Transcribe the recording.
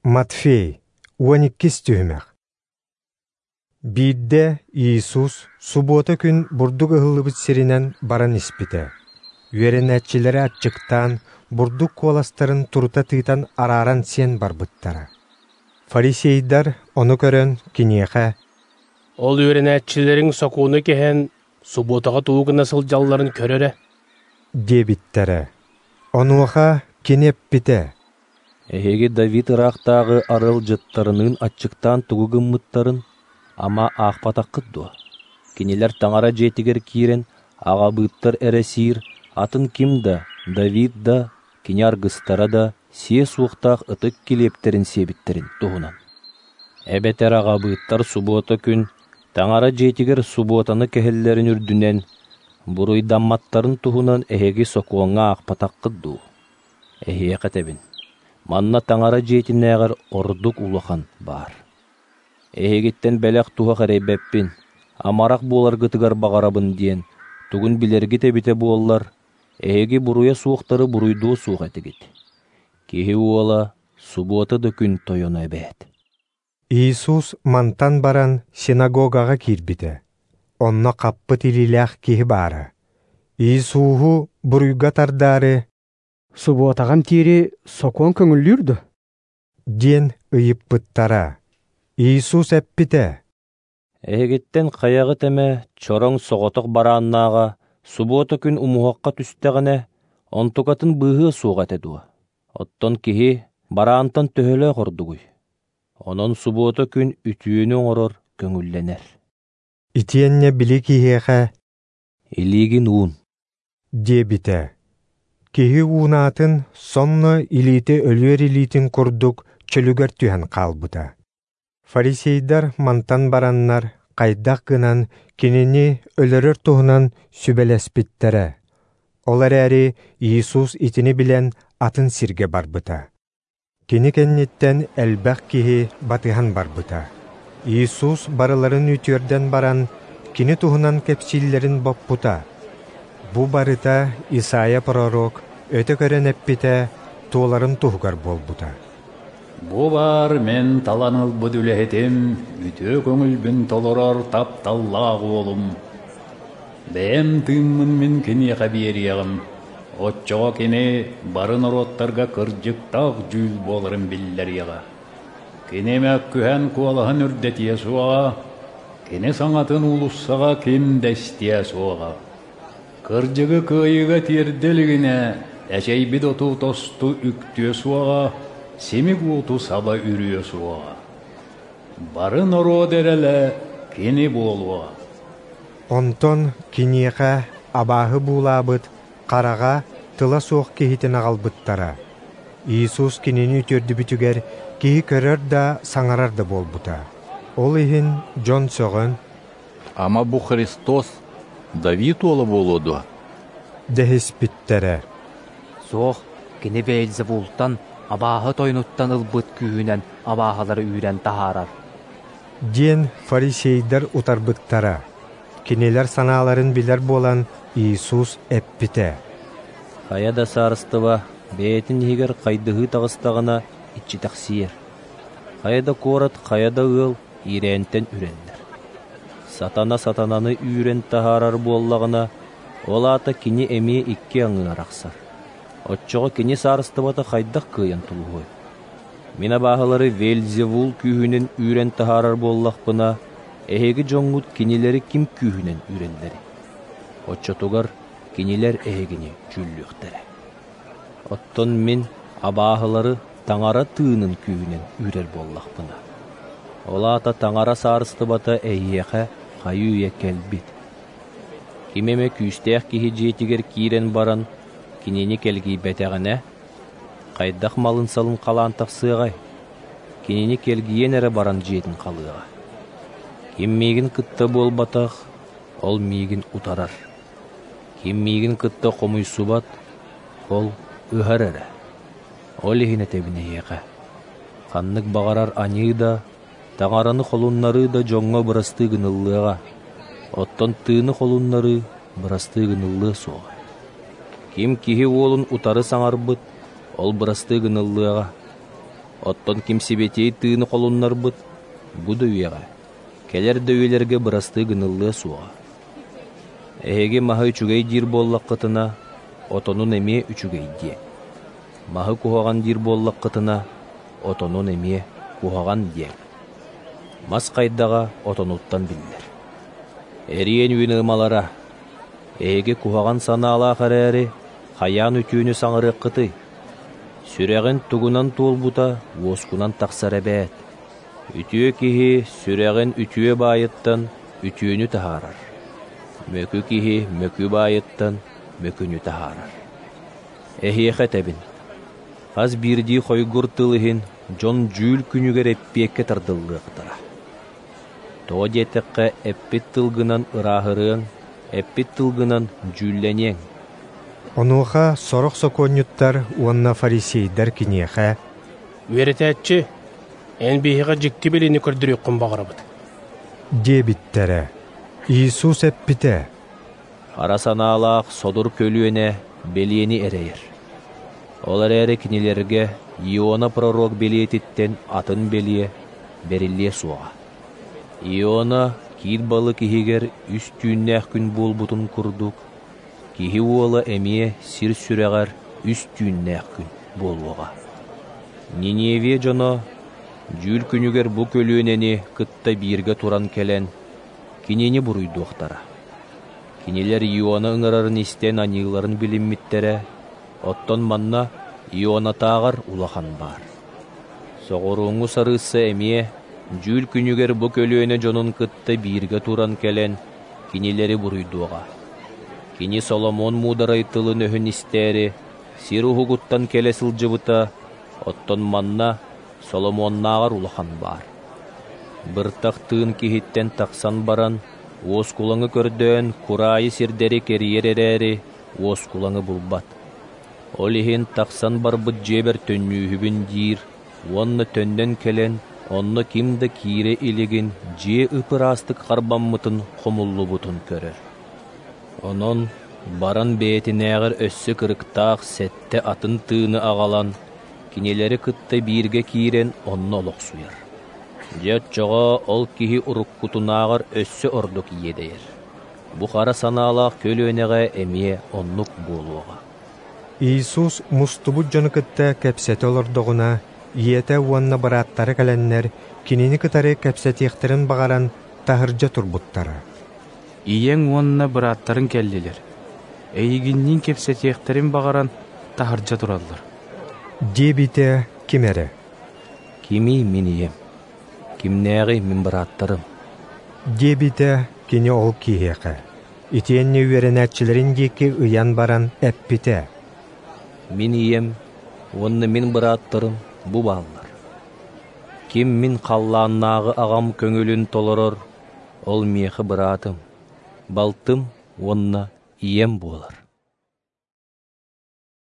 Матфей, 12 түһүмэх. Биирдэ Иисус субуота күн бурдук ыһыллыбыт сиринэн баран испитэ. Үөрэнээччилэрэ аччыктаан, бурдук куоластарын турута тыытан арааран сиэн барбыттара. Фарисейдар ону көрөн киниэхэ: «Ол үөрэнээччилэриҥ сокуону кэһэн, субуотаҕа тугу гына сылдьалларын көр эрэ» диэбиттэрэ. Онуоха кини эппитэ: «Эһиги Давид ыраахтааҕы арыалдьыттарыныын аччыктаан тугу гыммыттарын, ама, аахпатаххыт дуо? Кинилэр Таҥара дьиэтигэр киирэн, аҕабыыттар эрэ сиир, атын ким да, Давид да, кини аргыстара да сиэ суохтаах ытык килиэптэрин сиэбиттэрин туһунан. Эбэтэр аҕабыыттар субуота күн Таҥара дьиэтигэр субуотаны кэһэллэрин үрдүнэн, буруйдамматтарын туһунан эһиги сокуоҥҥа аахпатаххыт дуу? Эһиэхэ этэбин, манна Таҥара дьиэтинээҕэр ордук улахан баар. Эһигиттэн бэлэх-туһах эрэйбэппин, амарах буоларгытыгар баҕарабын диэн, тугун билэргит эбитэ буоллар, эһиги буруйа суохтары буруйдуо суох этигит. Киһи уола субуота да күн тойоно эбээт». Иисус мантан баран синагогаҕа киирбитэ. Онно хаппыт илиилээх киһи баара. Иисуһу буруйга тардаары «Субуотаҕа эмтиири сокуон көҥүллүүр дуо?» диэн ыйыппыттара. Иисус эппитэ: «Эһигиттэн хайаҕыт эмэ чороҥ соҕотох барааннааҕа субуота күн умуһахха түстэҕинэ, онтукатын быыһыа суох этэ дуо? Оттон киһи бараантан төһөлөөх ордугуй? Онон субуота күн үтүөнү оҥорор көҥүллэнэр». Итиэннэ били киһиэхэ: «Илиигин уун» диэбитэ. Киһи уунаатын сонно илиитэ өлүөр илиитин курдук чөлүгэр түһэн хаалбыта. Фарисейдар мантан бараннар хайдах гынан кинини өлөрөр туһунан сүбэлэспиттэрэ. Ол эрээри Иисус итини билэн атын сиргэ барбыта. Кини кэнниттэн элбэх киһи батыһан барбыта. Иисус барыларын үтүөрдэн баран, кини туһунан кэпсииллэрин боппута. Бу барыта Исайя пророк өтө көрөн эппитэ туоларын туһугар буолбута. Бу баар мин талан ылбыт үлэһитим, үтүө көҥүлбүн толорор тапталлаах уолум. Бэйэм тыыммын мин киниэхэ биэриэҕим, оччоҕо кини бары норуоттарга кырдьыктаах дьүүл буоларын биллэриэҕэ. Кини мөккүһэн куолаһын үрдэтиэ суоҕа, кини саҥатын уулуссаҕа ким да истиэ суоҕа. Кырдьыгы кыайыыга тиэрдэ илигинэ, эчэйбит оту тосту үктүө суоҕа, симик уоту саба үрүө суоҕа. Бары норуот эрэлэ кини буолуоҕа. Онтон киниэхэ абааһы буулаабыт хараҕа тыла суох киһитин аҕалбыттара. Иисус кинини үтүөрдүбүтүгэр киһи көрөр да, саҥарар да буолбута. Ол иһин дьон сөҕөн: «Ама бу Христос Давид уола буолуо дуо?» дэһиспиттэрэ. «Суох, кини Вельзевултан, абааһы тойонуттан ылбыт күүһүнэн абааһылары үүрэн таһаарар» диэн фарисейдар утарбыттара. Кинилэр санааларын билэр буолан Иисус эппитэ: «Хайа да саарыстыба бэйэтин иһигэр хайдыһыы таҕыстаҕына иччитэхсийэр. Хайа да куорат, хайа да ыал иирээнтэн үрэллэр. Сатана сатананы үүрэн таһаарар буоллаҕына, ол аата кини эмиэ икки аҥыы арахсар. Оччоҕо кини саарыстыбата хайдах кыайан тулуһуой? Мин абааһылары Вельзевул күүһүнэн үүрэн таһаарар буоллахпына, эһиги дьоҥҥут кинилэри ким күүһүнэн үүрэллэрий? Оччотугар кинилэр эһигини дьүүллүөхтэрэ. Оттон мин абааһылары Таҥара тыынын күүһүнэн үүрэр буоллахпына, ол аата Таҥара саарыстыбата эйиэхэ хайыы-үйэ кэлбит. Ким эмэ күүстээх киһи дьиэтигэр киирэн баран, кинини кэлгийбэтэҕинэ, хайдах малын-салын халаан тахсыаҕай? Кинини кэлгийэн эрэ баран дьиэтин халыаҕа. Ким миигин кытта буолбатах, ол миигин утарар. Ким миигин кытта хомуйсубат, ол ыһар эрэ. Ол иһин этэбин эһиэхэ, ханнык баҕарар аньыы да, Таҥараны холуннарыы да дьоҥҥо бырастыы гыныллыаҕа, оттон тыыны холуннарыы бырастыы гыныллыа суоҕа. Ким киһи уолун утары саҥарбыт, ол бырастыы гыныллыаҕа. Оттон ким Сибэтиэй Тыыны холуннарбыт, бу да үйэҕэ, кэлэр да үйэлэргэ бырастыы гыныллыа суоҕа. Эһиги маһы үчүгэй диир буоллаххытына, отонун эмиэ үчүгэй диэҥ. Маһы куһаҕан диир буоллаххытына, отонун эмиэ куһаҕан диэҥ. Мас хайдаҕа отонуттан биллэр. Эриэн үүн ыамалара, эһиги куһаҕан санаалаах эрээри, хайаан үтүөнү саҥарыаххытый? Сүрэҕин тугунан туолбута уоскунан тахсар эбээт. Үтүө киһи сүрэҕин үтүө баайыттан үтүөнү таһаарар. Мөкү киһи мөкү баайыттан мөкүнү таһаарар. Эһиэхэ этэбин, хас биирдии хойгур тыл иһин дьон дьүүл күнүгэр эппиэккэ тардыллыахтара. Тоҕо диэтэххэ, эппит тылгынан ырааһырыаҥ, эппит тылгынан дьүүллэниэҥ. Онуоха сорох сокуонньуттар уонна фарисейдар киниэхэ «Үөрэтээччи, эн биһиэхэ дьикти билиини көрдөрүөххүн баҕарабыт» диэбиттэрэ. Иисус эппитэ: «Хара санаалаах содур көлүөнэ бэлиэни эрэйэр. Ол эрээри кинилэргэ Иона пророк бэлиэтиттэн атын бэлиэ бэриллиэ суоҕа. Иона киир балык иһигэр үс түүннээх күн буолбутун курдук, Киһи уола эмиэ сир сүрэҕэр үс түүннээх күн буолуоҕа. Ниневия дьоно дьүүл күнүгэр бу көлүөнэни кытта бииргэ туран кэлэн, кинини буруйдуохтара. Кинилэр Иона ыҥырарын истэн аньыыларын билиммиттэрэ, оттон манна Ионатааҕар улахан баар. Соҕурууҥҥу сарыысса эмиэ дьүүл күнүгэр бу көлүөнэ дьонун кытта бииргэ туран кэлэн, кинилэри буруйдуоҕа. Кини Соломон муударай тылын-өһүн истээри сир уһугуттан кэлэ сылдьыбыта, оттон манна Соломоннааҕар улахан баар. Быртах тыын киһиттэн тахсан баран, уоскулаҥы көрдөөн кураайы сирдэри кэрийэр эрээри, уоскулаҥы булбат. Ол иһин тахсан барбыт дьиэбэр төннүүһүбүн диир уонна төннөн кэлэн, онно ким да киирэ илигин дьиэ ып-ыраастык харбаммытын хомуллубутун көрөр. Онон баран бэйэтинээҕэр өссө кырыктаах сэттэ атын тыыны аҕалан, кинилэри кытта бииргэ киирэн онно олохсуйар. Дьэ оччоҕо ол киһи уруккутунааҕар өссө ордук иэдэйэр. Бу хара санаалаах көлүөнэҕэ эмиэ оннук буолуоҕа. Иисус мустубут дьону кытта кэпсэтэ олордоҕуна, ийэтэ уонна бырааттара кэлэннэр, кинини кытары кэпсэтиэхтэрин баҕаран, таһырдьа турбуттара. Ийэҥ уонна бырааттарыҥ кэллилэр, эйигинниин кэпсэтиэхтэрин баҕаран, таһырдьа тураллар. Диэбитэ ким эрэ. Кимий мин ийэм? Кимнээҕий мин бырааттарым? Диэбитэ кини ол киһиэхэ. Итиэннэ үөрэнээччилэрин диэки ыйан баран эппитэ. Мин ийэм уонна мин бырааттарым бу бааллар. Ким мин халлааннааҕы аҕам көҥүлүн толорор, ол миэхэ быраатым, балтым уонна ийэм буолар.